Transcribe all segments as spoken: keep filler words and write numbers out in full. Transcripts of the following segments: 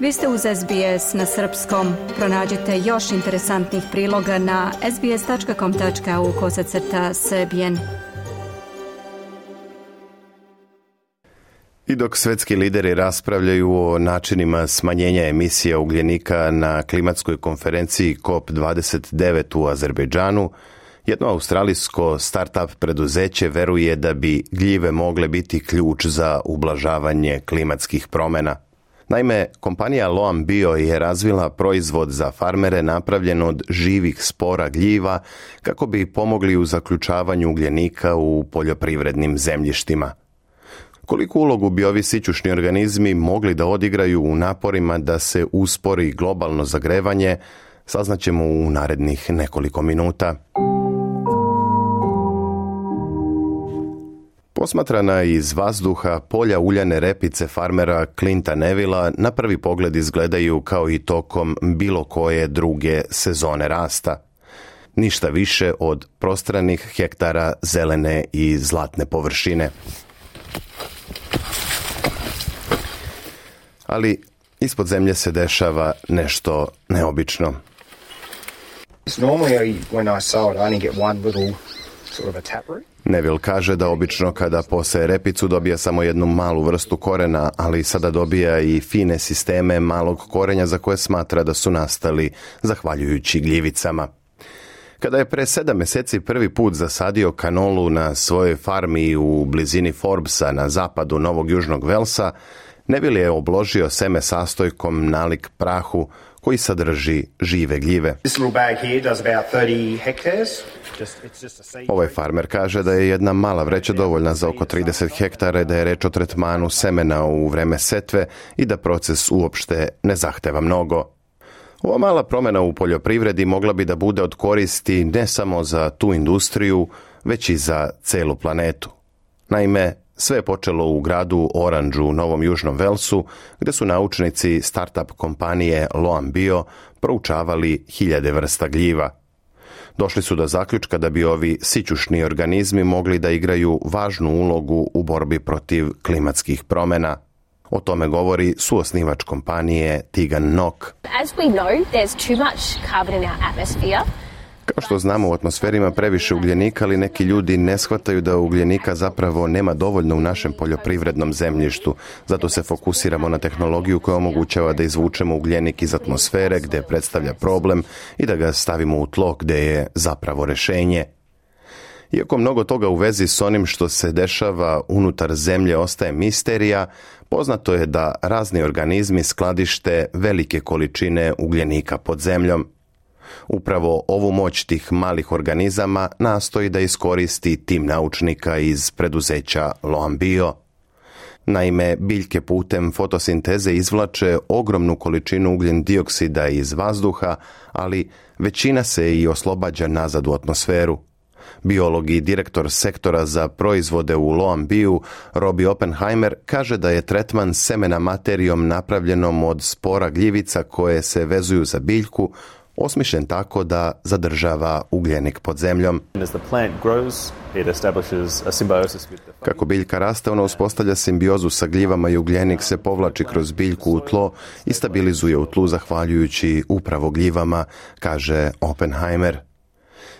Vi ste uz S B S na srpskom. Pronađite još interesantnih priloga na sbs.com.au kosacrta srbijen. I dok svetski lideri raspravljaju o načinima smanjenja emisija ugljenika na klimatskoj konferenciji C O P dvadeset devet u Azerbejdžanu, jedno australijsko start-up preduzeće veruje da bi gljive mogle biti ključ za ublažavanje klimatskih promjena. Naime, kompanija Loam Bio je razvila proizvod za farmere napravljen od živih spora gljiva kako bi pomogli u zaključavanju ugljenika u poljoprivrednim zemljištima. Koliko ulogu bi ovi sićušni organizmi mogli da odigraju u naporima da se uspori globalno zagrevanje, saznaćemo u narednih nekoliko minuta. Posmatrana iz vazduha, polja uljane repice farmera Clinta Nevilla na prvi pogled izgledaju kao i tokom bilo koje druge sezone rasta. Ništa više od prostranih hektara zelene i zlatne površine. Ali ispod zemlje se dešava nešto neobično. Neville kaže da obično kada poseje repicu dobija samo jednu malu vrstu korena, ali sada dobija i fine sisteme malog korenja za koje smatra da su nastali zahvaljujući gljivicama. Kada je pre sedam mjeseci prvi put zasadio kanolu na svojoj farmi u blizini Forbesa na zapadu Novog Južnog Velsa, Neville je obložio seme sastojkom nalik prahu koji sadrži žive gljive. Ovaj farmer kaže da je jedna mala vreća dovoljna za oko trideset hektara, da je reč o tretmanu semena u vreme setve i da proces uopšte ne zahteva mnogo. Ova mala promjena u poljoprivredi mogla bi da bude od koristi ne samo za tu industriju, već i za celu planetu. Naime, sve je počelo u gradu Orange u Novom Južnom Velsu, gdje su naučnici start-up kompanije Loam Bio proučavali hiljade vrsta gljiva. Došli su do zaključka da bi ovi sićušni organizmi mogli da igraju važnu ulogu u borbi protiv klimatskih promjena. O tome govori suosnivač kompanije Tegan Nock. As we know, there's too much carbon in our atmosphere. Kao što znamo, u atmosferi ima previše ugljenika, ali neki ljudi ne shvataju da ugljenika zapravo nema dovoljno u našem poljoprivrednom zemljištu. Zato se fokusiramo na tehnologiju koja omogućava da izvučemo ugljenik iz atmosfere gdje predstavlja problem i da ga stavimo u tlo gdje je zapravo rješenje. Iako mnogo toga u vezi s onim što se dešava unutar zemlje ostaje misterija, poznato je da razni organizmi skladište velike količine ugljenika pod zemljom. Upravo ovu moć tih malih organizama nastoji da iskoristi tim naučnika iz preduzeća Loam Bio. Naime, biljke putem fotosinteze izvlače ogromnu količinu ugljen dioksida iz vazduha, ali većina se i oslobađa nazad u atmosferu. Biolog i direktor sektora za proizvode u Loam Biu, Robbie Oppenheimer, kaže da je tretman semena materijom napravljenom od spora gljivica koje se vezuju za biljku osmišljen tako da zadržava ugljenik pod zemljom. Kako biljka raste, ona uspostavlja simbiozu sa gljivama i ugljenik se povlači kroz biljku u tlo i stabilizuje u tlu zahvaljujući upravo gljivama, kaže Oppenheimer.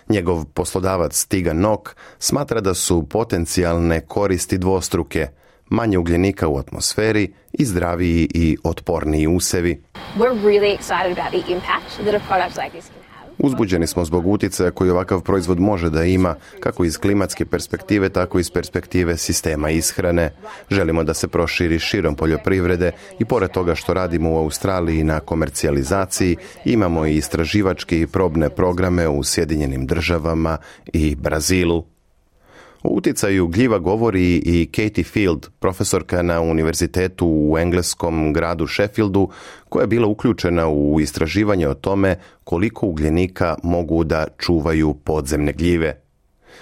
Njegov poslodavac Tegan Nock smatra da su potencijalne koristi dvostruke, manje ugljenika u atmosferi i zdraviji i otporniji usevi. We're really excited about the impact that a product like this can have. Uzbuđeni smo zbog utjecaja koji ovakav proizvod može da ima, kako iz klimatske perspektive, tako i iz perspektive sistema ishrane. Želimo da se proširi širom poljoprivrede i pored toga što radimo u Australiji na komercijalizaciji, imamo i istraživačke i probne programe u Sjedinjenim državama i Brazilu. O utjecaju gljiva govori i Katie Field, profesorka na univerzitetu u engleskom gradu Sheffieldu, koja je bila uključena u istraživanje o tome koliko ugljenika mogu da čuvaju podzemne gljive.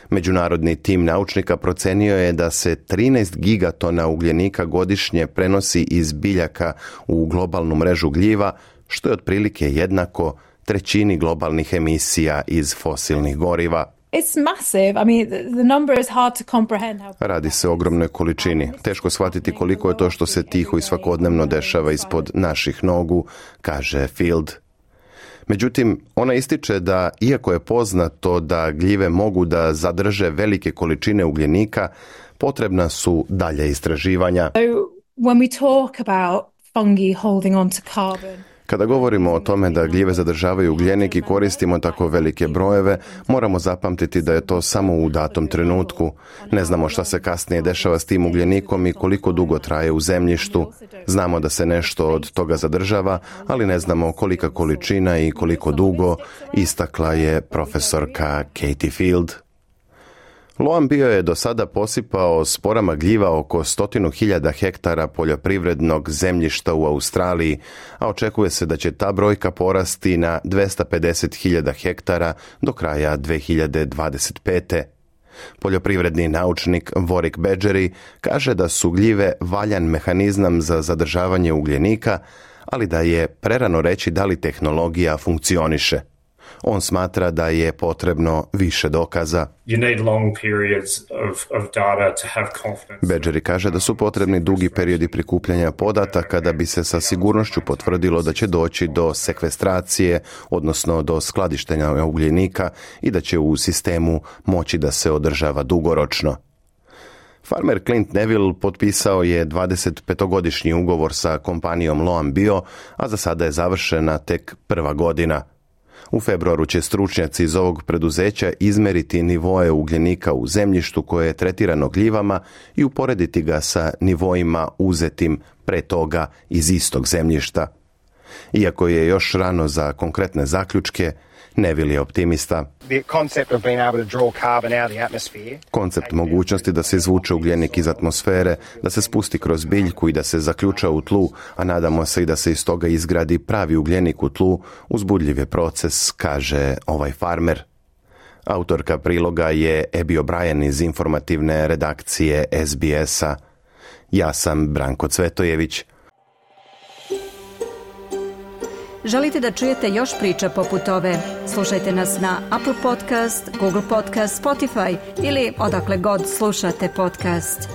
Međunarodni tim naučnika procenio je da se trinaest gigatona ugljenika godišnje prenosi iz biljaka u globalnu mrežu gljiva, što je otprilike jednako trećini globalnih emisija iz fosilnih goriva. It's massive. I mean, the number is hard to comprehend. Radi se o ogromnoj količini. Teško shvatiti koliko je to što se tiho i svakodnevno dešava ispod naših nogu, kaže Field. Međutim, ona ističe da, iako je poznato da gljive mogu da zadrže velike količine ugljenika, potrebna su dalja istraživanja. So when we talk about fungi holding on to carbon, kada govorimo o tome da gljive zadržavaju ugljenik i koristimo tako velike brojeve, moramo zapamtiti da je to samo u datom trenutku. Ne znamo šta se kasnije dešava s tim ugljenikom i koliko dugo traje u zemljištu. Znamo da se nešto od toga zadržava, ali ne znamo kolika količina i koliko dugo, istakla je profesorka Katie Field. Loam Bio je do sada posipao sporama gljiva oko stotinu hiljada hektara poljoprivrednog zemljišta u Australiji, a očekuje se da će ta brojka porasti na dvesta pedeset hiljada hektara do kraja dve hiljade dvadeset pete. Poljoprivredni naučnik Warwick Badgery kaže da su gljive valjan mehanizam za zadržavanje ugljenika, ali da je prerano reći da li tehnologija funkcioniše. On smatra da je potrebno više dokaza. Badgery kaže da su potrebni dugi periodi prikupljanja podataka da bi se sa sigurnošću potvrdilo da će doći do sekvestracije, odnosno do skladištenja ugljenika i da će u sistemu moći da se održava dugoročno. Farmer Clint Neville potpisao je dvadesetpetogodišnji ugovor sa kompanijom Loam Bio, a za sada je završena tek prva godina. U februaru će stručnjaci iz ovog preduzeća izmeriti nivoe ugljenika u zemljištu koje je tretirano gljivama i uporediti ga sa nivoima uzetim pre toga iz istog zemljišta. Iako je još rano za konkretne zaključke, Neville je optimista. Koncept mogućnosti da se izvuče ugljenik iz atmosfere, da se spusti kroz biljku i da se zaključa u tlu, a nadamo se i da se iz toga izgradi pravi ugljenik u tlu, uzbudljiv je proces, kaže ovaj farmer. Autorka priloga je Abby O'Brien iz informativne redakcije S B S-a. Ja sam Branko Cvetojević. Želite da čujete još priča poput ove? Slušajte nas na Apple Podcast, Google Podcast, Spotify ili odakle god slušate podcast.